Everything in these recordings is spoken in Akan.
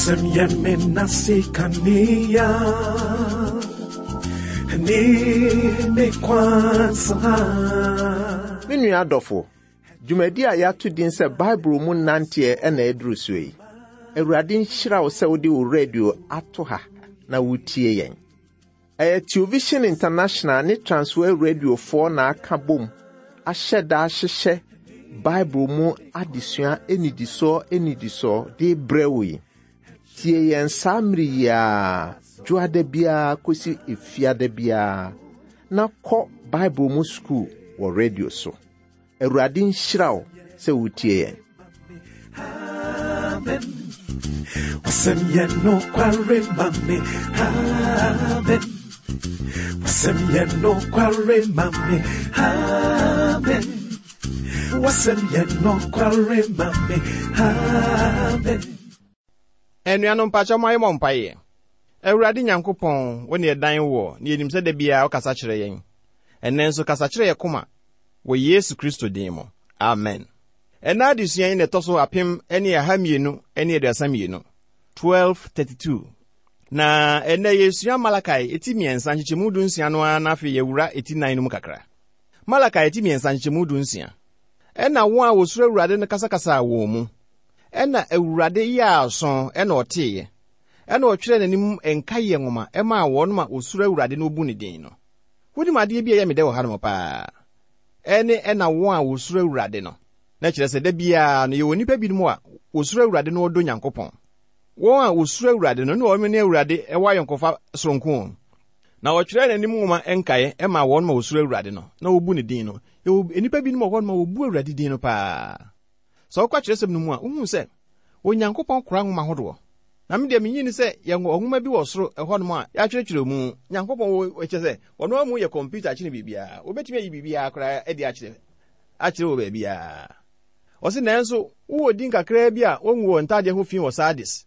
Wasɛm yɛ me nase kanea ne me kwan so ha. Me nua adɔfo, dwumadi a yɛato din sɛ Bible mu nanteɛ na ɛduru so yi. Awurade nhyira wo sɛ wode wo radio ato ha na wotie yɛn. Ɛyɛ Television International ne Transworld Radiofoɔ na aka bom ahyɛ da ahyehyɛ Bible mu adesua nnidisoɔ nnidisoɔ de brɛ wo yi. Tie yɛn saa mmere yi ara, dwoada biara kɔsi efiada biara, na kɔ Bible mu sukuu wɔ radio so. Awurade nhyira wo sɛ wotie yɛn. Amen. Wasɛm yɛ nokware ma me. Amen. Wasɛm yɛ nokware ma me. Amen. Wasɛm yɛ nokware ma me. Amen. Anuanom mpakyɛ mo ayɛ mɔ mpaeɛ. Awurade Nyankopɔn, wo ne yɛdan woɔ, na yɛnim sɛ da biara wokasa kyerɛ yɛn. Ɛnnɛ nso kasa kyerɛ yɛ koma wɔ Yesu Kristo din mu. Amen. Ɛnnɛ adesua yi na ɛtɔ so 1232, 1232. Na ɛnnɛ yɛresua Malakai eti mmiɛnsa nkyekyɛmu dunsia no ara na afei yɛwura eti nan no mu kakra. Malakai eti mmiɛnsa nkyekyɛmu dunsia. Ɛna wɔn a wɔsuro Awurade no kasakasaa wɔn mu. Ɛna Awurade yɛɛ aso ɛna ɔteeɛ. Ɛna ɔtwerɛɛ n'anim nkaeɛ nwoma ɛmaa wɔn a wɔsuro Awurade na wɔbu ne din no. Wonim adeɛ bi a ɛyɛ me dɛ wɔ hanom paa? Ɛne ɛna wɔn a wɔsuro Awurade no. Na kyerɛ sɛ da biara no yɛwɔ nnipa binom a wɔsuro Awurade na wɔdɔ Nyankopɔn. Wɔn a wɔsuro Awurade no ne wɔn ne Awurade wɔ ayɔnkofa soronko. Na ɔtwerɛɛ n'anim nwoma nkaeɛ maa wɔn ma wɔsuro Awurade no na wɔbu ne din no. Yɛwɔ nnipa binom wɔ hɔnom a wɔbu Awurade din no paa. Sɛ wokɔ atwerɛsɛm no mu a, wohu sɛ Onyankopɔn kora nwoma hodoɔ. Na me deɛ menyi ni sɛ yɛwɔ nwoma bi wɔ soro ɛhɔnom a yɛatwerɛtwerɛ mu. Nyankopɔn wɔ kyerɛ sɛ ɔno ara mu yɛ kɔmputa kyene biribiara. Wɔbɛtumi ayi biribiara koraa adi akyerɛ akyerɛ wɔ baabiara. Ɔse nanso wowɔ din kakraa bi a wɔngu wɔn ntadeɛ ho fi wɔ Sardis,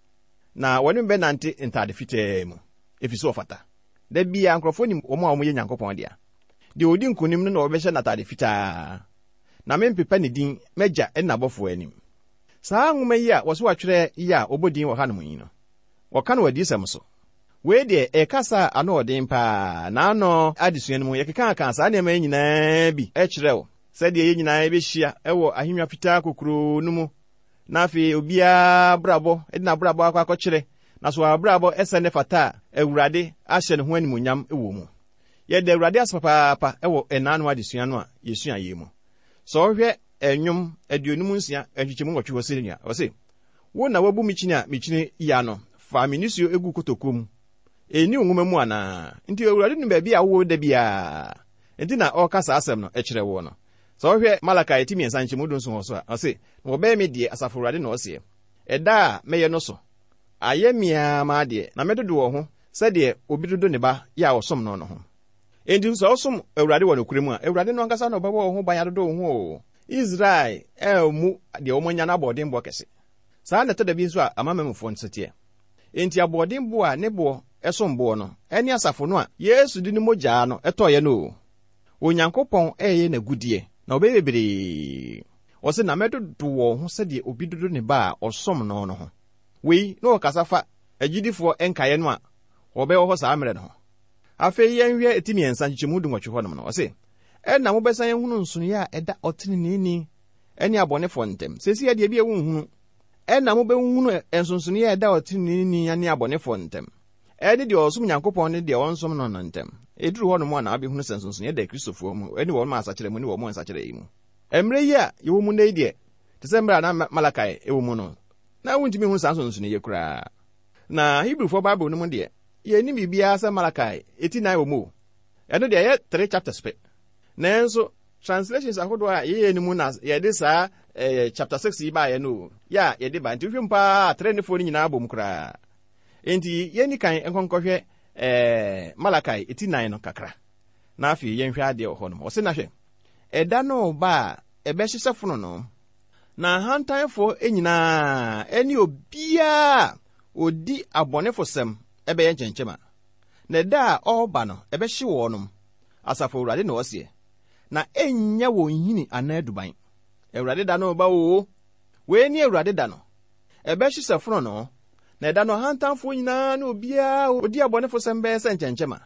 na wɔne me bɛnante ntade fitaa mu, ɛfiri sɛ wɔfata. Da biara nkurɔfoɔ nim wɔn a wɔyɛ Nyankopɔn dea. Deɛ ɔdi nkonim no na wɔbɛhyɛ no atade fitaa, na mempepa ne din m'Agya ne n'abɔfoɔ anim. Saa nwoma yi a wɔse wɔatwerɛ yi a wɔbɔ din wɔ hanom yi no, wɔka no wɔ adiyisɛm so. Wei deɛ, ɛyɛ kasa a ano wɔ den paa. N'ano adesua no mu, yɛkekaakaa saa nneɛma yi nyinaa bi kyerɛɛ wo, sɛdeɛ yɛn nyinaa yɛbɛhyia wɔ ahennwa fitaa kokuroo no mu, na afei obiara abrabɔ de n'abrabɔ akɔ akɔkyerɛ, na so abrabɔ sɛ ne fata a Awurade ahyɛ ne ho animuonyam wɔ mu. Yɛda Awurade ase papaapa wɔ ɛnaano adesua no a yɛsuaeɛ yi mu. Sɛ wohwɛ Nnwom 56 nkyekyɛmu nwɔtwe hɔ sei a, ɔse, Wo na woabu me kyini a mekyini yi ano, fa me nisuo gu kotokuo mu. Ɛnni wo nwoma mu anaa? Nti Awurade nim baabi a wowɔ da biara, nti na ɔreka saa asɛm no kyerɛ woɔ no. Sɛ wohwɛ Malakai ti mmiɛnsa nkyɛmu dunson hɔ so a, ɔse, Na wɔbɛyɛ me deɛ, Asafo Awurade na ɔseɛ, ɛda a mɛyɛ no so. Ayɛ me ara m'adeɛ, na mɛdodo wɔn ho sɛdeɛ obi dodo ne ba yɛ a ɔsom no no ho. Enti sɛ wosom Awurade wɔ nokorɛ mu a, Awurade no ankasa na ɔbɛbɔ wo ho ban adodo wo ho o. Israel ammu deɛ wɔanya no aboɔdenboɔ kɛse. Saa na ɛtɔ da bi nso a amanamanmufoɔ nso teɛ. Enti aboɔdenboɔ a ne boɔ som boɔ no ne asafo no a Yesu de ne mogyaa no tɔeɛ no o. Onyankopɔn reyɛ n'agudeɛ, na ɔbɛyɛ bebree. Ɔse, na mɛdodo wɔn ho sɛdeɛ obi dodo ne ba a ɔsom no no ho. Wei na ɔkasa fa agyidifoɔ nkaeɛ no a wɔbɛwɔ hɔ saa mmerɛ no ho. Afei yɛnhwɛ ti mmiɛnsa nkyekyɛmu dunwɔtwe hɔnom no, ɔse, Ɛnna mobɛsan ahunu nsonoeɛ a ɛda ɔteneneeni ne abɔnefoɔ ntam. Seesei deɛ ebia wonhunu. Ɛnna mobɛhunu nsonsonoeɛ a ɛda ɔteneneeni ne abɔnefoɔ ntam, ɛne deɛ ɔsom Nyankopɔn ne deɛ ɔnsom no no ntam. Ɛduru hɔnom a na wobɛhunu sɛ nsonsonoeɛ da Kristofoɔ mu ne wɔn a asakyera mu ne wɔn a nsakyera yi mu. Mmerɛ yi a yɛwɔ mu nnɛ yi deɛ, te sɛ mmerɛ a na Malakai wɔ mu no, na wontumi nhu saa nsonsonoeɛ yi koraa. Na Hebrifoɔ Bible no mu deɛ, yɛnnim biribiara sɛ Malakai ti nnan wɔ mu o. Ɛno deɛ ɛyɛ three chapters pɛ. Nanso translations ahodoɔ a yɛyɛ no mu na yɛde saa eh, chapter six yi baeɛ no o, yɛ a yɛde ba. Nti wohwɛ mu paa a, three ne four no nyinaa bom koraa. Nti yɛnni kan nkɔnkɔhwɛ eh, Malakai ti nnan no kakra. Na afei yɛnhwɛ adeɛ wɔ hɔnom. Ɔse na hwɛ, ɛda no reba a ɛbɛhyehyɛ fononoo, na ahantanfoɔ nyinaa ne obiara a ɔdi abɔnefosɛm bɛyɛ nkyɛnkyɛma. Na ɛda a ɔreba no, ɛbɛhye wɔnom, Asafo Awurade na ɔseɛ, na ɛnnya wɔn nhini anaa duban. Awurade da no reba oo! Wei ne Awurade da no. Ɛbɛhye sɛ fononoo, Na ɛda no ahantanfoɔ nyinaa ne obiara a ɔdi abɔnefosɛm bɛyɛ sɛ nkyɛnkyɛma.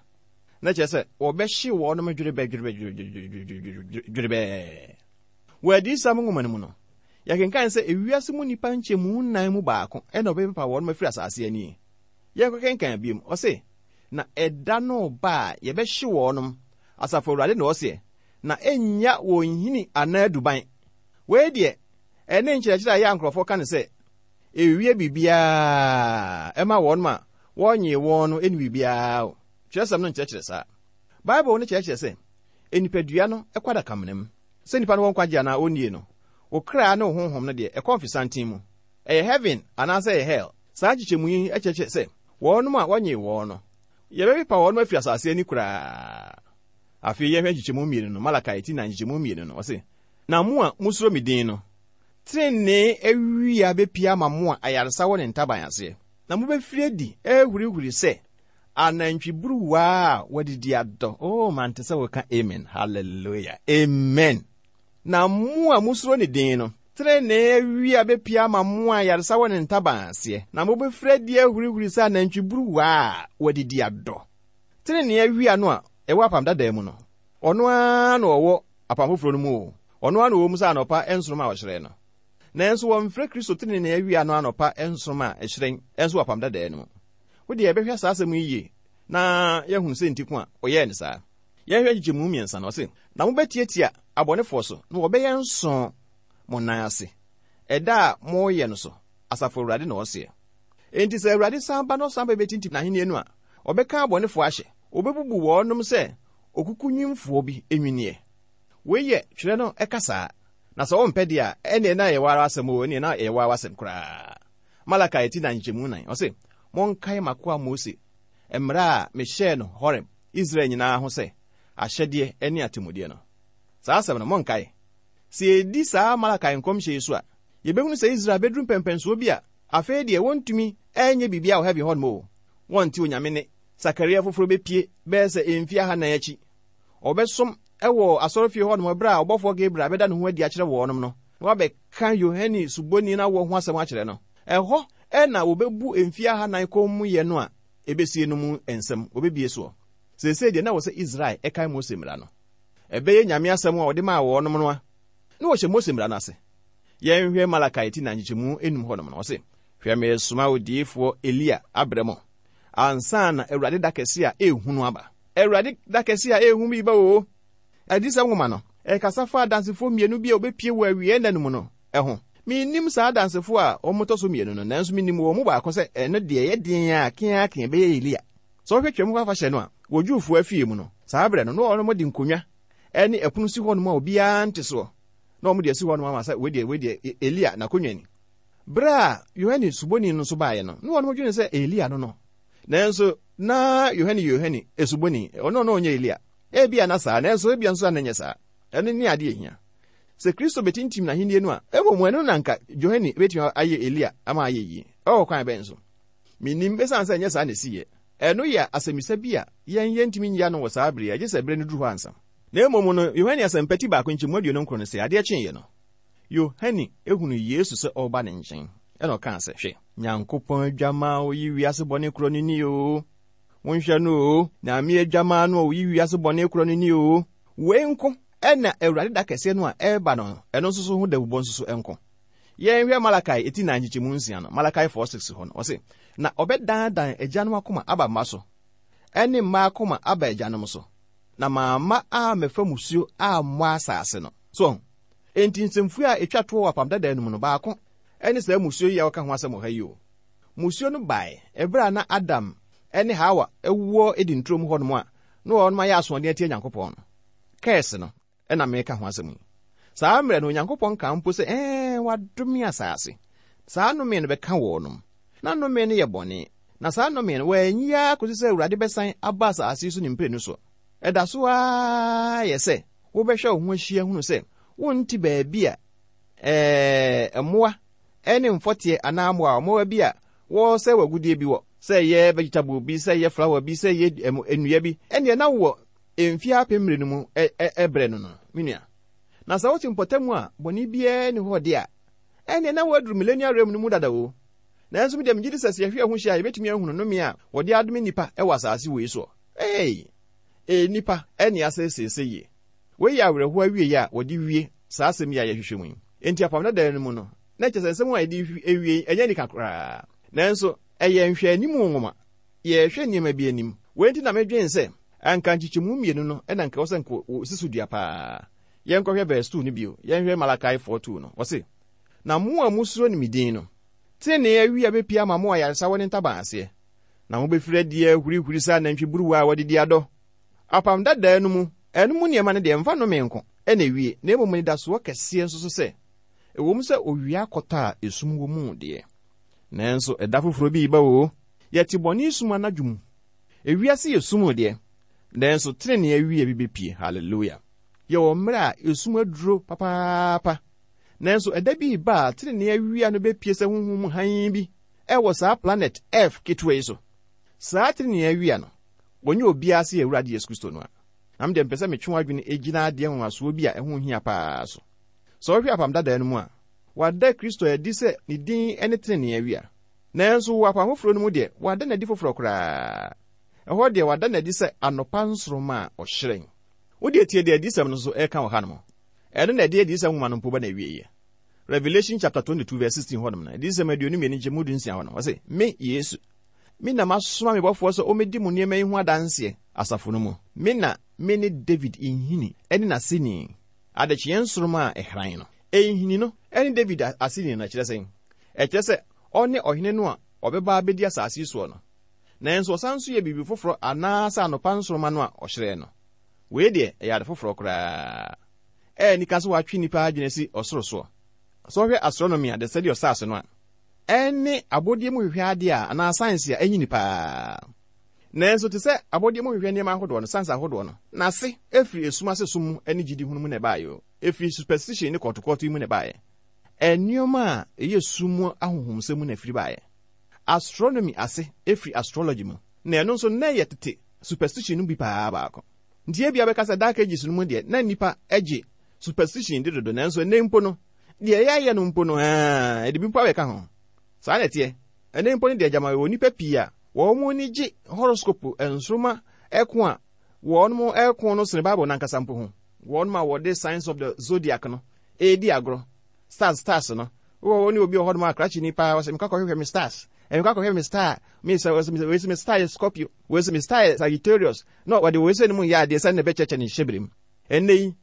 Na kyerɛ sɛ wɔbɛhye wɔnom dwerebɛdwerebɛdwerebɛɛ. Wɔ Adiyisɛm nwoma no mu no, yɛkenkan sɛ ewiase mu nnipa nkyɛmu nnan mu baako na wɔbɛpepa wɔnom afiri asase ani. Yɛnkɔkenkan biom, ɔse, Na ɛda no reba a yɛbɛhye wɔnom, Asafo Awurade na ɔseɛ, na ɛnnya wɔn nhini anaa duban. Wei deɛ, ɛne nkyerɛkyerɛ a ɛyɛ a nkurɔfoɔ ka no sɛ ɛwie biribiara ɛma wɔnom a wɔnyee wɔn no ɛnni biribiara o. Twerɛsɛm no nkyerɛkyerɛ saa. Bible no kyerɛkyerɛ sɛ nipadua no kɔ adakamena mu. Sɛ nipa no wɔ nkwagye anaa ɔnnie no, wo kra ne wo honhom no deɛ ɛkɔ mfesanten mu. Ɛyɛ heaven anaasɛ ɛyɛ hell. Saa nkyekyɛmu yi kyerɛkyerɛ sɛ wɔnom a wɔnyee wɔn no, yɛbɛpepa wɔnom afiri asase ani koraa. Afei yɛnhwɛ nkyekyɛmu mmienu no, Malakai ti nan nkyekyɛmu mmienu no, ɔse, Na mo a mosuro me din no, trenee awia bepue ama mo a ayaresa wɔ ne ntaban aseɛ, na mobɛfiri adi ahurihuri sɛ anantwiburuwa a wɔadidi adɔ. Oh, mante sɛ woka amen. Hallelujah. Amen. Na mo a mosuro ne din no, trenee awia bepue ama mo a ayaresa wɔ ne ntaban aseɛ, na mobɛfiri adi ahurihuri sɛ anantwiburuwa a wɔadidi adɔ. Trenee awia no a ɛwɔ Apam Dadaa mu no, ɔno ara na ɔwɔ Apam Foforɔ no mu o. Ɔno ara na ɔwɔ mu sɛ anɔpa nsoromma a ɔhyerɛn no. Nanso wɔmfrɛ Kristo trenee awia no anɔpa nsoromma a ɛhyerɛn nso wɔ Apam Dadaa no mu. Wo deɛ yɛbɛhwɛ saa asɛm yi yie na yɛahunu sɛ nti ko a ɔyɛɛ no saa. Yɛnhwɛ nkyekyɛmu mmiɛnsa no, ɔse, Na mobɛtiatia abɔnefoɔ so, na wɔbɛyɛ nsõ mo nan ase, ɛda a moreyɛ no so, Asafo Awurade na ɔseɛ. Enti sɛ Awurade san ba na ɔsan ba bɛtintim n'ahennie no a, ɔbɛka abɔnefoɔ ahyɛ, ɔbɛbubu wɔnom sɛ okukunwimfoɔ bi nnwinneɛ. Wei yɛ twerɛ no ɛka saa, na sɛ wompɛ deɛ a, ɛnneɛ na ɛyɛ wo ara w'asɛm oo, ɛnneɛ na ɛyɛ wo ara w'asɛm koraa. Malakai ti nan nkyɛmu nan, ɔse, Monkae m'akoa Mose mmara a mehyɛɛ no Horeb, Israel nyinaa ho sɛ, ahyɛdeɛ ne atemmudeɛ no. Saa asɛm no, monkae. Sɛ yɛdi saa Malakai nkɔmhyɛ yi so a, yɛbɛhunu sɛ Israel bɛduru mpɛnpɛnsoɔ bi a afei deɛ wɔntumi nyɛ biribiara wɔ heaven hɔnom o. Wɔnte Onyame nne. Sakaria foforɔ bɛpue bɛyɛ sɛ mfeɛ ahannan akyi. Ɔbɛsom wɔ asɔrefie hɔnom berɛ a ɔbɔfoɔ Gabriel bɛda ne ho adi akyerɛ wɔnom no, na wabɛka Yohane Suboni no awoɔ ho asɛm akyerɛ no. Ɛhɔ na wɔbɛbu mfeɛ ahannan kommyɛ no a ɛbɛsie no mu nsɛm, wɔbɛbue soɔ. Seesei deɛ na ɛwɔ sɛ Israel kae Mose mmara no. Ɛbɛyɛ Nyame asɛm a ɔde maa wɔnom no a na wɔhyɛ Mose mmara no ase. Yɛnhwɛ Malakai ti nan nkyekyɛmu enum hɔnom no, ɔse, Hwɛ meresoma odiyifoɔ Elia abrɛ mo, ansa na Awurade da kɛse a ɛyɛ hu no aba. Awurade da kɛse a ɛyɛ hu bi reba oo. Adiyisɛm nwoma no, ɛkasa fa adansefoɔ mmienu bi a wɔbɛpue wɔ awieɛ nna no mu no ho. Mennim saa adansefoɔ a wɔtɔ so mmienu no, nanso menim wɔn mu baako sɛ ɛno deɛ ɛyɛ den a keaakea ɛbɛyɛ Elia. Sɛ wohwɛ Twam Afahyɛ no a, wɔ Jewfoɔ afie mu no, saa berɛ no, na wɔde nkonnwa ne ɛpono si hɔnom a obiara nte soɔ. Na wɔde asi hɔnom ama sɛ wei deɛ, wei deɛ, Elia n'akonnwa ni. Berɛ a Yohane Suboni no nso baeɛ no, na wɔn dwene sɛ Elia no no. Nanso na Yohane yɛ Yohane Suboni, ɔno na ɔnyɛ Elia. Ebia na saa, nanso ebia nso na ɛnyɛ saa. Ɛno ne adeɛ ehia. Sɛ Kristo bɛtintim n'ahennie no a, mmom ɛno na anka Yohane bɛtumi ayɛ Elia ama ayɛ yie. Ɛwɔ kwan bɛn so? Mennim, ɛsiane sɛ ɛnyɛ saa na ɛsiiɛ. Ɛno yɛ asɛmmisa bi a yɛn yɛntumi nyi ano wɔ saa bere yi, gye sɛ bere no duru hɔ ansa. Na mmom no, Yohane Asɛmpa ti baako nkyɛmu 29 no se, adeɛ kyeeɛ no, Yohane hunuu Yesu sɛ ɔreba ne nkyɛn, ɛna ɔkaa sɛ, Hwɛ, Nyankopɔn Adwammaa a ɔyi wiase bɔne korɔ no ni oo! Monhwɛ no oo! Nyame Adwammaa no a ɔyi wiase bɔne korɔ no ni oo! Wei nko na Awurade da kɛseɛ no a ɛreba no, ɛno nso so ho dawubɔ nso so nko. Yɛnhwɛ Malakai eti nan nkyekyɛmu nsia no, Malakai 4:6 hɔ no, ɔse, Na ɔbɛdandan agyanom akoma aba mma so, ɛne mma akoma aba agyanom so, na mamma ammɛfa mmusuo ammɔ asase no. So wahu? Enti nsɛmfua a etwa toɔ wɔ Apam Dadaa no mu no, baako ne saa mmusuo yi a wɔka ho asɛm wɔ ha yi o. Mmusuo no bae ɛberɛ a na Adam ne Hawa wɔ Eden turo mu hɔnom a na wɔnom ayɛ asoɔden atia Nyankopɔn no. Curse no na mereka ho asɛm yi. Saa mmerɛ no Onyankopɔn kaa mpo sɛ, ɛɛ, wadome asase. Saa nnome no bɛka wɔnom. Na nnome no yɛ bɔne. Na saa nnome no, wɔanyi ara kɔsi sɛ Awurade bɛsan aba asase yi so ne mprenu so. Ɛda so ara yɛ sɛ wobɛhwɛ wo ho ahyia hunu sɛ wonte baabi a ɛɛ, mmoa ne mfɔteɛ anaa mmoawa mmoawa bi a wɔresɛe w'agudeɛ bi wɔ, sɛ ɛyɛ vegetable bi, sɛ ɛyɛ flower bi, sɛ ɛyɛ nnua bi, ɛnneɛ na wowɔ mfeɛ apem mmerɛ no mu ɛbrɛ no no, me nua. Na sɛ wote mpɔtam a bɔne biara nni hɔ deɛ a, ɛnneɛ na woaduru millennial realm no mu dada o. Nanso me deɛ megye di sɛ sɛ yɛhwɛ yɛn ho hyia a, yɛbɛtumi ahunu nnome a wɔde adome nnipa wɔ asase wei soɔ. Ei! Ee, nnipa ne asɛe seesei. Wei yɛ awerɛhoɔ awieeɛ a wɔde wie saa asɛm yi a yɛhwehwɛ mu yi. Enti Apam Dada no mu no, na kyerɛ sɛ nsɛm a yɛde rewie yi, ɛnyɛ anika koraa. Nanso, ɛyɛ nhwɛanim nwoma. Yɛrehwɛ nneɛma bi anim. Wei nti na medwen sɛ anka nkyekyɛmu mmienu no na anka ɛwɔ sɛ anka wɔsi so dua paa. Yɛnkɔhwɛ verse 2 no bio. Yɛnhwɛ Malachi 4:2 no. Ɔse, Na mo a musuro ne me din no, trenee awia bepue ama mo ayaresa wɔ ne ntaban aseɛ, na mobɛfiri adi ahurihuri sɛ anantwiburuwa a wɔde di adɔ. Apam Dadaa no mu, ɛno mu nneɛma no deɛ, mfa nnome nko na ɛwie, na mmom anidasoɔ kɛseɛ nso so sɛ, ɛwom sɛ owia akɔtɔ a esum wɔ mu deɛ, nanso ɛda foforɔ bi reba oo. Yɛte bɔne sum anadwo mu. Ewiase yɛ sum deɛ, nanso trenee awia bi bepue. Hallelujah! Yɛwɔ mmerɛ a esum aduro papaapa, nanso ɛda bi reba a trenee awia no bepue sɛ honhom mu hann bi wɔ saa planet Earth ketewa yi so. Saa trenee awia no, wɔnyɛ obiara sɛ yɛn Awurade Yesu Kristo no a. Na me deɛ mepɛ sɛ metwe w'adwene gyina adeɛ nwanwasoɔ bi a ɛho hia paa so. Sɛ wohwɛ Apam Dadaa no mu a, wɔada Kristo adi sɛ ne din ne trenee awia. Nanso wɔ Apam Foforɔ no mu deɛ, wɔada no adi foforɔ koraa. Ɛhɔ deɛ, wɔada no adi sɛ anɔpa nsoromma a ɔhyerɛn. Wo deɛ tie deɛ Adiyisɛm no nso reka wɔ hanom. Ɛno na ɛde Adiyisɛm nwoma no mpo ba n'awieeɛ. Revelation chapter 22 verse 16 hɔnom no, Adiyisɛm 22 nkyɛmu 16 hɔ no, ɔse, Me, Yesu, me na masoma me bɔfoɔ sɛ ɔmmɛdi mo nneɛma yi ho adanseɛ asafo no mu. Me na mene David nhini ne n'aseni, adekyeeɛ nsoromma a ɛhran no. Nhini no ne David aseni no, ɛkyerɛ sɛn? Ɛkyerɛ sɛ ɔne ɔhene no a ɔbɛba abɛdi asase yi soɔ no. Nanso ɔsan nso yɛ biribi foforɔ anaasɛ anɔpa nsoromma no a ɔhyerɛn no. Wei deɛ, ɛyɛ ade foforɔ koraa. Ɛyɛ anika sɛ wɔatwe nnipa adwene asi ɔsoro soɔ. Sɛ wohwɛ astronomy a, the study of stars no a, ɛne abɔdeɛ mu hwehwɛ adeɛ a anaa science a ɛnyini paa. Nanso te sɛ abɔdeɛ mu hwehwɛ nneɛma ahodoɔ no, science ahodoɔ no, n'ase firi esum ase som mu ne gyidi hunu mu na ɛbaeɛ o. Ɛfiri superstition ne kɔɔtokɔɔto yi mu na ɛbaeɛ. Nneɛma a ɛyɛ sum mu ahonhomsɛm mu na ɛfiri baeɛ. Astronomy ase firi astrology mu, na ɛno nso na ɛyɛ tete superstition no bi paa baako. Nti ebia wobɛka sɛ Dark Ages no mu deɛ na nnipa gye superstition di dodo, nanso ɛnnɛ mpo no, deɛ yɛayɛ no mpo no, aa, ɛde bi mpo abɛka ho. Saa na ɛteɛ. Ɛnnɛ mpo no deɛ gyama yɛwɔ nnipa pii a wɔn ani gye horoscope nsoromma ɛko a wɔn ɛko no sene Bible no ankasa mpo ho. Wɔn a wɔde signs of the zodiac no ɛredi agorɔ, stars stars no. Wowɔ hɔ ne obi wɔ hɔnom a krakyeni paa, ɔsɛ mekɔ akɔhwehwɛ me stars, mekɔ akɔhwɛ me star, me sɛ ɔsɛ wei sɛ me star yɛ Scorpio, wei sɛ me star yɛ Sagittarius, na wɔde wei sɛ ne mu yɛ adeɛ sɛ na ɛbɛkyɛkyɛ ne hyɛberɛ mu. Ɛnnɛ yi,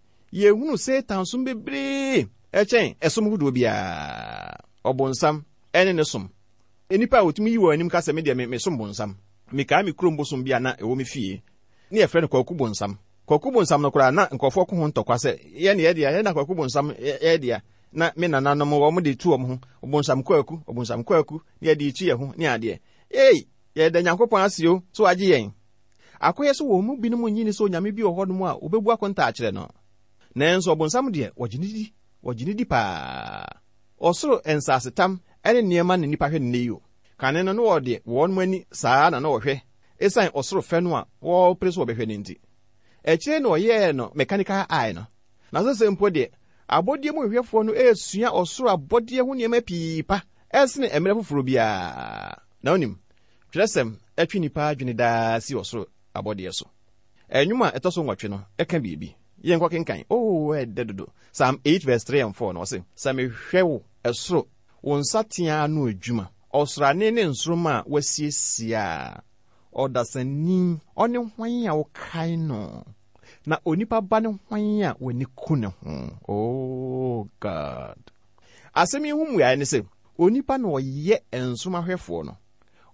yɛhunu Satan som bebree ɛkyɛn ɛsom hodoɔ biara. Ɔbonsam ɛne ne som. Nnipa a wɔtumi yi wɔn anim ka sɛ me deɛ me mesom bonsam. Mekae me kurom bosom bi a na ɛwɔ me fie, ne yɛfrɛ no Kwaku Bonsam. Kwaku Bonsam no koraa, na nkurɔfoɔ ko ho ntɔkwa sɛ, yɛn deɛ yɛn na Kwaku Bonsam yɛ dea. Na me nananom wɔn de tu wɔn ho, Ɔbonsam Kwaku, Ɔbonsam Kwaku, ne yɛde tu yɛn ho ne adeɛ. Ei, yɛda Nyankopɔn ase o, sɛ wagye yɛn. Akɔyɛ sɛ wɔn mu binom nnye nni sɛ onyame bi wɔ hɔnom a wɔbɛbu akontaa akyerɛ no. Nanso ɔbonsam deɛ, wɔgye no di, wɔgye no di paa. Ɔsoro nsasetam ne nneɛma na nnipa hwɛ no nnɛ yi o. Kane no, na wɔde wɔn ani saa na na wɔhwɛ esiane ɔsoro fɛ no a wɔrepere sɛ wɔbɛhwɛ no nti. Akyire na wɔyɛɛ no mechanical eye no. Na sesei mpo deɛ, abɔdeɛ mu hwehwɛfoɔ no resua ɔsoro abɔdeɛ ho nneɛma pii pa sene mmerɛ foforɔ biara. Na wonim, twerɛsɛm twe nnipa adwene daa si ɔsoro abɔdeɛ so. Nnwom a ɛtɔ so nwɔtwe no ka biribi. Yɛnkɔ kenkan. Oo, ɛdɛ dodo. Psalm 8 verse 3 and 4 no, ɔse, Sɛ mehwɛ wo ɛsoro, wo nsateaa ano adwuma, ɔsrane ne nsoromma a woasiesie a, ɔdasani, ɔne hwan a wokae no? Na onipa ba ne hwan a w'ani ku ne ho? Oh God. Asɛm yi ho mmuae ne sɛ, onipa na ɔyɛ nsoromahwɛfoɔ no.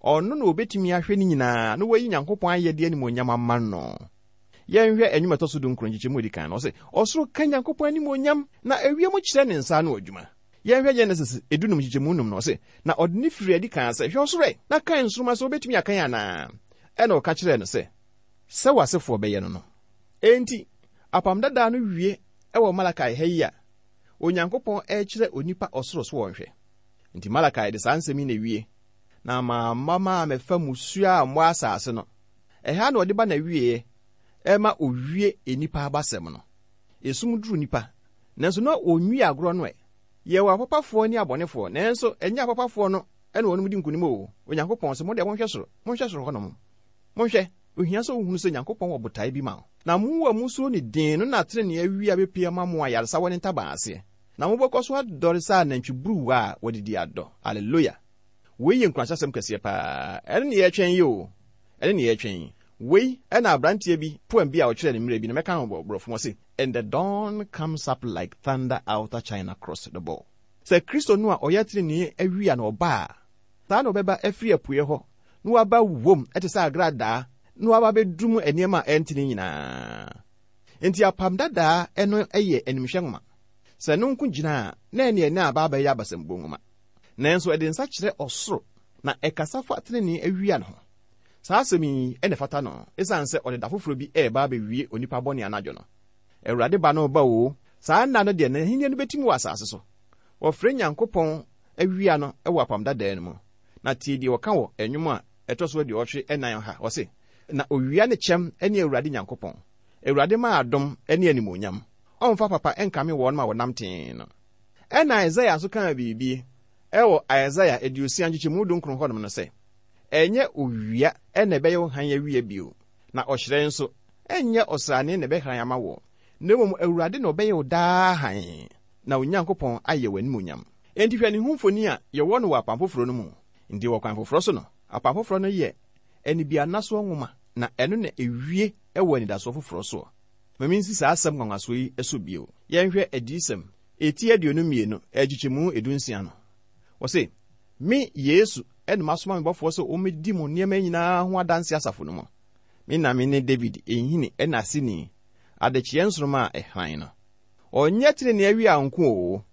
Ɔno na obetumi ahwɛ ne nyinaa na wayi Nyankopɔn ayɛde animuonyam ama no. Yɛnhwɛ nnwom a ɛtɔ so dunkron nkyekyɛmu a edi kan no. Ɔse, Ɔsoro ka Nyankopɔn animuonyam, na ewiem kyerɛ ne nsa ano adwuma. Yɛnhwɛ Genesis dunum nkyekyɛmu num no. Ɔse, Na ɔde no firii adi kaa sɛ, Hwɛ ɔsoro ɛ, na kan nsoromma sɛ wobetumi akan anaa? Ɛnna ɔka kyerɛɛ no sɛ, Sɛ w'asefoɔ bɛyɛ no no. Enti, Apam Dadaa no wie wɔ Malakai ha yi a Onyankopɔn rekyerɛ onipa ɔsoro so wɔnhwɛ. Enti Malakai de saa nsɛm yi na ewie, Na mamma mammɛfa mmusuo ammɔ asase no. Ɛha na ɔde ba n'awieɛ, ɛma ɔwie nnipa abasɛm no. Esum duru nnipa, nanso na ɔnwie agorɔ no ɛ. Yɛwɔ apapafoɔ ne abɔnefoɔ, nanso ɛnyɛ apapafoɔ no. Ɛna wɔnom di nkonim o. Onyankopɔn se, Mo deɛ monhwɛ soro, monhwɛ soro hɔnom. Monhwɛ, ohia sɛ wohunu sɛ Nyankopɔn wɔ botae bi ma wo. Na mo a musuro ne din no na trenee awia bepue ama mo ayaresa wɔ ne ntaban aseɛ. Na mobɛkɔ so adɔre sɛ anantwiburuwa a wɔadidi adɔ. Aleluya! Wei yɛ nkuranhyɛsɛm kɛseɛ paa. Ɛno ne yɛretwɛn yi o. Ɛno ne yɛretwɛn yi. Wei na aberanteɛ bi, poem bi a ɔtwerɛɛ no mmerɛ bi no, mɛka no wɔ borɔfo mu, ɔse, And the dawn comes up like thunder outer China cross the ball. Sɛ Kristo no a ɔyɛ trenee awia na ɔba a, saa na ɔbɛba afiri apueɛ hɔ na waba wom te sɛ agradaa na waba abɛdum nneɛma a ɛntene nyinaa. Enti Apam Dadaa no yɛ animhwɛ nwoma. Sɛ ɛno nko gyina a, na ɛneɛ na aba abɛyɛ abasambuo nwoma. Nanso ɛde nsa kyerɛ ɔsoro na ɛkasa fa tenenee awia no ho. Saa asɛm yi na ɛfata no esiane sɛ ɔde da foforɔ bi reba abɛwie onipa bɔne anadwo no. Awurade ba no reba oo, saa nna no deɛ n'ahennie no bɛtim wɔ asase so. Wɔfrɛ Nyankopɔn awia no wɔ Apam Dadaa no mu. Na tie deɛ ɔka wɔ Nnwom a ɛtɔ so aduɔwɔtwe nnan ha, ɔse, Na owia ne kyɛm ne Awurade Nyankopɔn, Awurade ma adom ne animuonyam, ɔmfa papa nkame wɔn a wɔnam tee no. Ɛnna Isaia nso kaa biribi wɔ Isaia 60 nkyekyɛmu dunkron hɔnom no sɛ, Ɛnyɛ owia na ɛbɛyɛ wo hann awia bio, na ɔhyerɛn nso, ɛnyɛ ɔsrane na ɛbɛhran ama wo, na mmom Awurade na ɔbɛyɛ wo daa hann, na wo Nyankopɔn ayɛ w'animuonyam. Enti hwɛ ne ho mfoni a yɛwɔ no wɔ Apam Foforɔ no mu. Enti wɔ kwan foforɔ so no, Apam Foforɔ no yɛ anibiannasoɔ nwoma, na ɛno na ɛwie wɔ anidasoɔ foforɔ soɔ. Ma mensi saa asɛm nwanwasoɔ yi so bio. Yɛnhwɛ Adiyisɛm, eti 22, nkyekyɛmu dunsia no. Wɔse, Me, Yesu, na masoma me bɔfoɔ sɛ ɔmmɛdi mo nneɛma nyinaa ho adanseɛ asafo no mu. Me na mene David nhini ne aseni, adekyeɛ nsoromma a ɛhran no. Ɔnyɛ tenenee awia nko oo,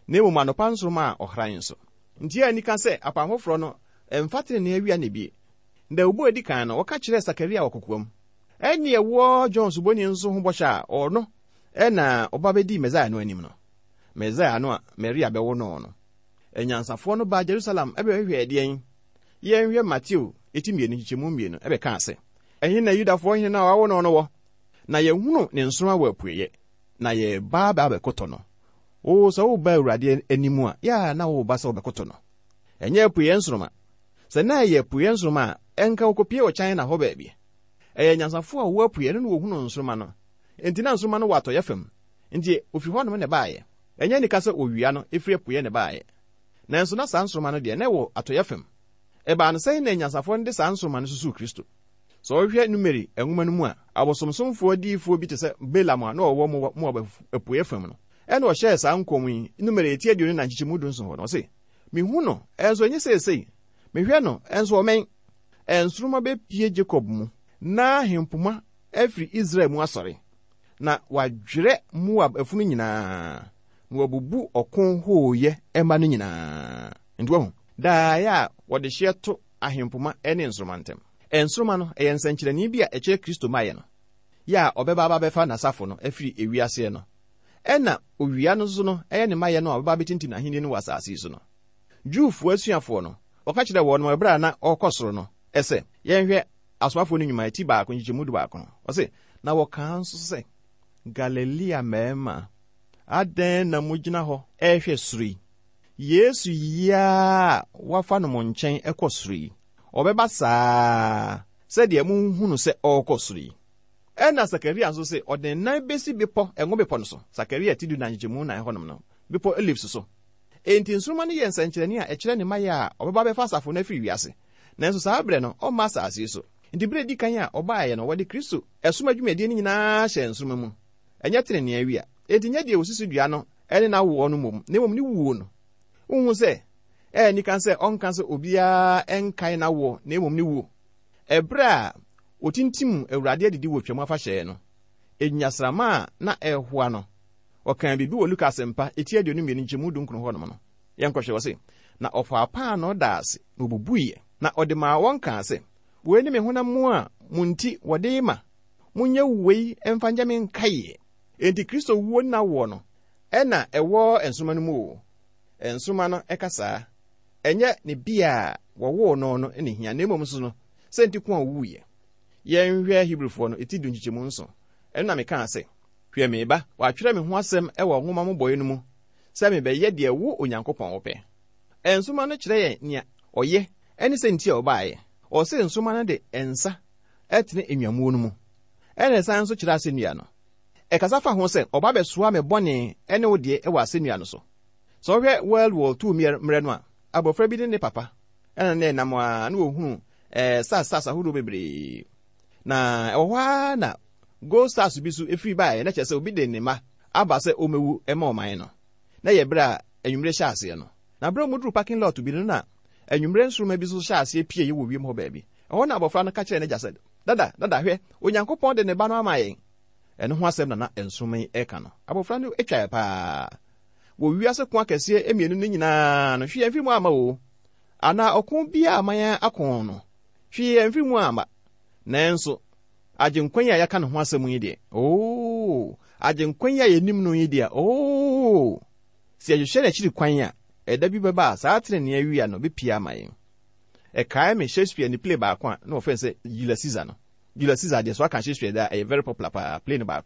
na mmom anɔpa nsoromma a ɔhran nso. Nti a anika sɛ Apam Foforɔ no mfa tenenee awia na ebie. Dawubɔ a edi kan no, wɔka kyerɛɛ Sakaria wɔ kokoam. Ɛnne ɛwɔ John Suboni nso ho bɔhyɛ a ɔno na ɔba bɛdii Mesaia no anim no, Mesaia no a Maria bɛwo no no. Anyansafoɔ no baa Jerusalem bɛhwehwɛɛ deɛn? Yɛnhwɛ Mateo eti mmienu nkyekyɛmu mmienu ɛbɛkaa sɛ, Ɛhe na Yudafoɔ hene no a wɔawo no no wɔ? Na yɛahunu ne nsoromma wɔ apueeɛ, na yɛreba abɛkoto no. Oo, sɛ woreba Awurade anim a, yɛ a na woreba sɛ wobɛkoto no. Ɛnyɛ apueeɛ nsoromma. Sɛ na ɛyɛ apueeɛ nsoromma a, ɛnka wɔkɔpue wɔ China hɔ baabi. Ɛyɛ anyansafoɔ a wɔwɔ apueeɛ no na wɔhunuu nsoromma no. Enti na nsoromma no wɔ atɔeɛ fam. Enti wɔfiri hɔnom na ɛbaeɛ. Ɛnyɛ anika sɛ owia no firi apueeɛ na ɛbaeɛ. Nanso na saa nsoromma no deɛ, na ɛwɔ atɔeɛ fam. Ɛbaa no sɛn na anyansafoɔ no de saa nsoromma no susuu Kristo? Sɛ wohwɛ Numeri nwoma no mu a, abosomsomfoɔ adiyifoɔ bi te sɛ Balaam a na ɔwɔ Moab apueeɛ fam no, ɛna ɔhyɛɛ saa nkɔm yi, Numeri eti 24 nkyekyɛmu dunson hɔ no, ɔse, Mehu no, nso ɛnyɛ seesei, mehwɛ no, nso ɔmmɛn. Nsoromma bɛpue Jakob mu, na ahempoma afiri Israel mu asɔre, na wɔadwerɛ Moab afunu nyinaa, na wɔabubu ɔko hooyɛ mma no nyinaa. Nti wahu, daeɛ a wɔde hyeɛ to ahempoma ne nsoromma ntam. Nsoromma no, ɛyɛ nsɛnkyerɛnne bi a ɛkyerɛ Kristo mmaeɛ no, yɛ a ɔbɛba aba abɛfa n'asafo no afiri ewiaseɛ no, ɛna owia no nso no ɛyɛ ne mmaeɛ no a ɔbɛba abɛtintim n'ahennie no wɔ asase yi so no. Jewfoɔ asuafoɔ no, ɔka kyerɛɛ wɔn ɛberɛ a na ɔrekɔ soro no sɛ, yɛnhwɛ Asomafoɔ no Nnwuma ti baako nkyekyɛmu dubaako no, ɔse, Na wɔkaa nso sɛ, Galilea mmarima, adɛn na mogyina hɔ rehwɛ soro yi? Yesu yi ara a wɔafa no mo nkyɛn kɔ soro yi, ɔbɛba saa ara sɛdeɛ mohunu sɛ ɔrekɔ soro yi. Ɛnna Sakaria nso se, ɔde ne nan bɛsi bepɔ, Ngo Bepɔ no so, Sakaria ti dunan nkyekyɛmu nnan hɔnom no, Bepɔ Olives so. Enti nsoromma no yɛ nsɛnkyerɛnne a ɛkyerɛ ne mmaeɛ a ɔbɛba abɛfa asafo no afiri wiase. Nanso saa berɛ no, ɔmma asase yi so. Enti berɛ a ɛdi kan a ɔbaeɛ no, wɔde Kristo som adwumadie no nyinaa hyɛɛ nsoromma mu. Ɛnyɛ tenenee awia. Enti nyɛ deɛ wɔsi so dua no ne n'awoɔ no mmom, na mmom ne wuo no. Wonhu sɛ ɛyɛ anika sɛ ɔnka sɛ obiara nkae n'awoɔ na mmom ne wuo? Ɛberɛ a wɔtintim Awurade adidi wɔ Twam Afahyɛ no, nnyasramma a na ɛrehoa no, ɔkaa biribi wɔ Luka Asɛmpa eti 22 nkyɛmu dunkron hɔnom no. Yɛnkɔhwɛ, ɔse, Na ɔfaa paanoo daa ase, na ɔbubuiɛ, na ɔde maa wɔn kaa sɛ, Wei ne me honam mu a mo nti wɔde rema, monyɛ wei mfa nyɛ me nkaeɛ. Enti Kristo wuo ne n'awoɔ no na ɛwɔ nsoromma no mu oo, nsoromma no ka saa. Ɛnyɛ ne bea a wɔwoo no no na ehia, na mmom nso no, sɛ nti ko a owuiɛ. Yɛnhwɛ Hebrifoɔ no ti du nkyekyɛmu nson. Ɛno na mekaa sɛ, Hwɛ, mereba, wɔatwerɛ me ho asɛm wɔ nwoma mmobɔeɛ no mu sɛ mebɛyɛ deɛ wo Onyankopɔn wopɛ. Nsoromma no kyerɛ yɛn nea. ɔyɛ ne sɛ nti a ɔbaeɛ. Ɔse nsoromma no de nsa tene nnwammuo no mu, ɛna ɛsan nso kyerɛ asɛnnua no. Ɛkasa fa ho sɛ ɔba bɛsoa me bɔne ne wo deɛ wɔ asɛnnua no so. Sɛ wohwɛ World War II mmerɛ no a, abɔfra bi ne ne papa na na ɛnam a na wɔhunu stars stars ahodoɔ bebree. Na ɛwɔ hɔ ara na gold stars bi so firi baeɛ, na kyerɛ sɛ obi de ne mma aba sɛ ɔmmɛwu ma ɔman no. Na ɛyɛ berɛ a anwummere hyɛ aseɛ no. Na berɛ a wɔduruu parking lot bi no na anwummere nsoromma bi nso hyɛɛ aseɛ pieeɛ wɔ wiem hɔ baabi. Ɛhɔ na abɔfra no ka kyerɛɛ n'agya sɛ, Dada, Dada, hwɛ! Onyankopɔn de ne ba no ama yɛn! Ɛno ho asɛm na na nsoromma yi reka no. Abɔfra no twaeɛ paa. Wɔ wiase ko akɛseɛ mmienu no nyinaa no, hwee amfiri mu amma o. Anaa ɔko biara a aman ako no, hwee amfiri mu amma. Nanso, Agyenkwa yi a yɛaka ne ho asɛm yi deɛ, oo, Agyenkwa yi a yɛnim no yi deɛ, oo, sɛ yɛhwehwɛ n'akyiri kwan a, ɛda bi bɛba a saa tenenee awia no bɛpue ama yɛn. Ɛkae me Shakespeare ne play baako a na wɔfrɛ no sɛ Julius Caesar no. Julius Caesar deɛ, so aka Shakespeare deɛ a, ɛyɛ very popular paa, play no baako.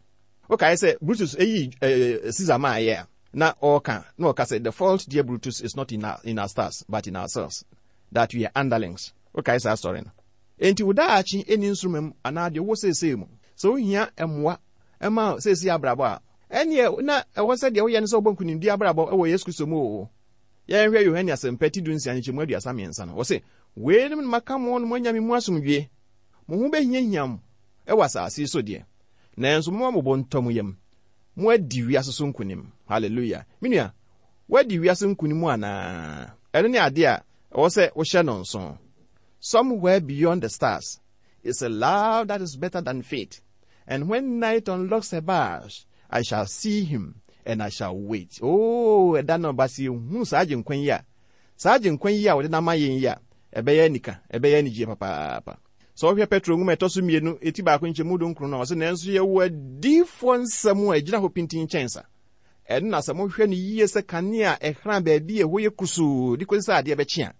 Wokae sɛ Brutus yii Caesar maeɛ a, na ɔreka, na ɔka sɛ, The fault, dear Brutus, is not in our, in our stars, but in ourselves, that we are underlings. Wokae saa story no? Enti wo daakye nni nsoromma mu anaa deɛ wowɔ seesei mu. Sɛ wohia mmoa ma seesei abrabɔ a, ɛnneɛ na ɛwɔ sɛ deɛ woyɛ ne sɛ wobɔ nkonimdie abrabɔ wɔ Yesu Kristo mu oo. Yɛnhwɛ Yohane Asɛmpa ti dunsia nkyekyɛmu 33 no. Ɔse, Weinom na maka mo na moanya me mu asomdwoeɛ. Mo ho bɛhiahia mo wɔ asase yi so deɛ, nanso momma mo bo ntɔ mo yam. Moadi wiase so nkonim. Hallelujah. Me nua, woadi wiase nkonim anaa? Ɛno ne adeɛ a ɛwɔ sɛ wohyɛ no nso. Somewhere beyond the stars is a love that is better than fate. And when night unlocks her bars, I shall see him and I shall wait. Oh, ɛda no ba sɛ yɛhunu saa agyenkwa yi a, saa agyenkwa yi a wɔde no ama yɛn yi a, ɛbɛyɛ anika, ɛbɛyɛ anigyeɛ papaapa. Sɛ wohwɛ Petro nwoma ɛtɔ so mmienu, eti baako nkyɛmu dunkron no a, ɔse nanso yɛwɔ adiyifoɔ nsɛm a ɛgyina hɔ pintinn kyɛn sa. Ɛno na sɛ mohwɛ no yie sɛ kanea a ɛhran baabi a ɛhɔ yɛ kusuu de kɔsi sɛ adeɛ bɛkye a,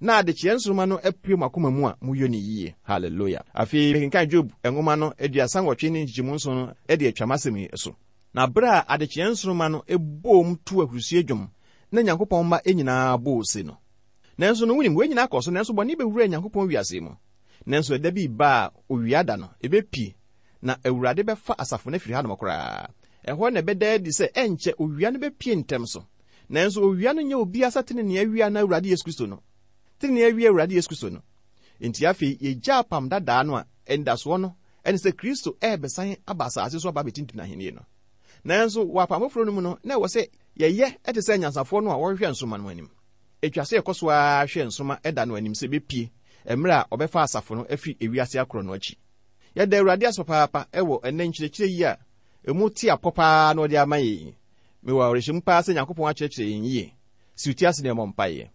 na adekyeɛ nsoromma no apue mo akoma mu a, moyɔ no yie. Hallelujah. Afei mekenkan Job nwoma no 38 ne nkyekyɛmu nson no de atwa m'asɛm yi so. Na berɛ a adekyeɛ nsoromma no boom too ahurisie dwom na Nyankopɔn mma nyinaa bɔɔ ose no. Nanso no, wonim, wei nyinaa kɔɔ so, nanso bɔne bɛwuraa Nyankopɔn wiase yi mu. Nanso ɛda bi reba a owia da no, ɛbɛpue, na Awurade bɛfa asafo no afiri hanom koraa. Ɛhɔ na ɛbɛda adi sɛ ɛnkyɛ owia no bɛpue ntɛm so. Nanso owia no nyɛ obiara sɛ tenenee awia anaa Awurade Yesu Kristo no. Tenenee awia Awurade Yesu Kristo no. Enti afei yɛgya apam dadaa no a anidasoɔ no ne sɛ Kristo rebɛsan aba asase so aba abɛtintim n'ahennie no. Nanso wɔ apam foforɔ no mu no, na ɛwɔ sɛ yɛyɛ te sɛ anyansafoɔ no a wɔhwehwɛ nsoromma no anim. Ɛtwa sɛ yɛkɔ so ara hwɛ nsoromma da no anim sɛ ɛbɛpue mmerɛ a ɔbɛfa asafo no afiri ewiase akorɔ no akyi. Yɛda Awurade ase papaapa wɔ ɛnnɛ nkyerɛkyerɛ yi a ɛmu te apɔ paa na ɔde ama yɛn yi. Mewɔ awerɛhyɛmu paa sɛ Nyankopɔn akyerɛkyerɛ yɛn yie. Si wo ti ase na yɛmmɔ mpaeɛ.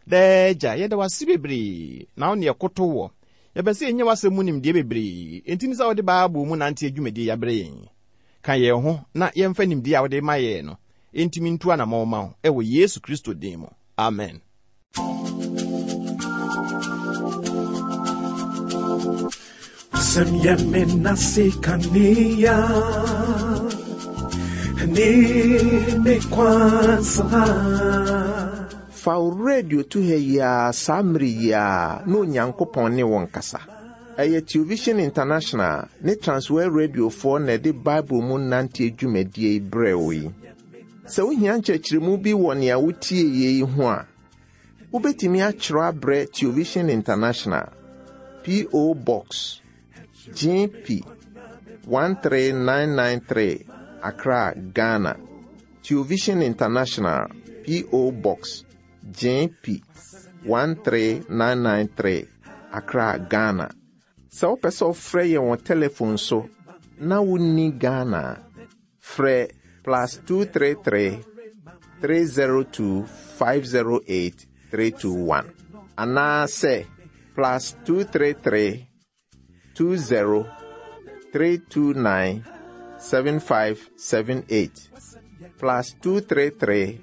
Daa Agya, yɛda wo ase bebree, na wo ne yɛkoto woɔ. Yɛpɛ sɛ yɛnya w'asɛm mu nimdeɛ bebree, enti ne sɛ wode Bible mu nanteɛ dwumadie yi abrɛ yɛn yi. Ka yɛn ho na yɛmfa nimdeɛ a wode ma yɛn no ntumi ntu anammɔn mma wo, wɔ Yesu Kristo din mu. Amen. Asɛm yɛ me nase kanea ne me kwan saa. Fa wo radio to ha yi ara saa mmere yi ara na Onyankopɔn ne wo nkasa. Ɛyɛ Television International ne Transworld Radiofoɔ na ɛde Bible mu nanteɛ dwumadie yi brɛɛ wo yi. Sɛ wohia nkyerɛkyerɛmu bi wɔ nea wotieeɛ yi ho a, wobɛtumi atwerɛ abrɛ Television International, P.O. Box, GP 13993, Accra, Ghana. Television International, P.O. Box, GP 13993, Accra, Ghana. Sɛ wopɛ sɛ wofrɛ yɛn wɔ telefon so na wonni Ghana a, frɛ plus 233 302 508 321 anaasɛ plus 233 20 329 7578 plus 233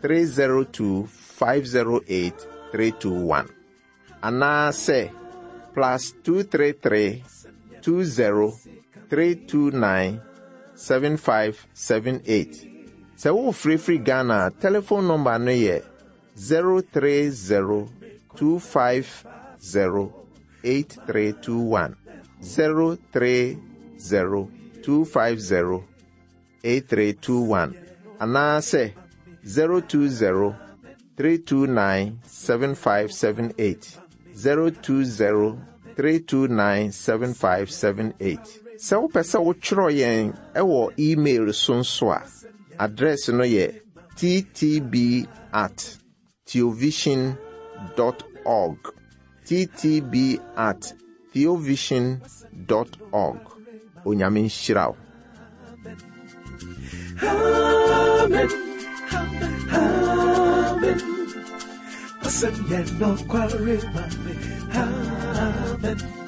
302 508 321 anaasɛ plus 233 20 329 7578. Sɛ worefrɛ firi Ghana a, telefon nɔmba no yɛ 030. 250 8321. 030 250 8321 anaasɛ 020 329 7578. 020 329 7578. Sɛ wopɛ sɛ wotwerɛ yɛn ɛwɔ email so nso a, address no yɛ ttb at theovision dot org. Ttb at theovision dot org. Onyame nhyira wo. Amen. Amen. Wasɛm yɛ nokware ma me. Amen.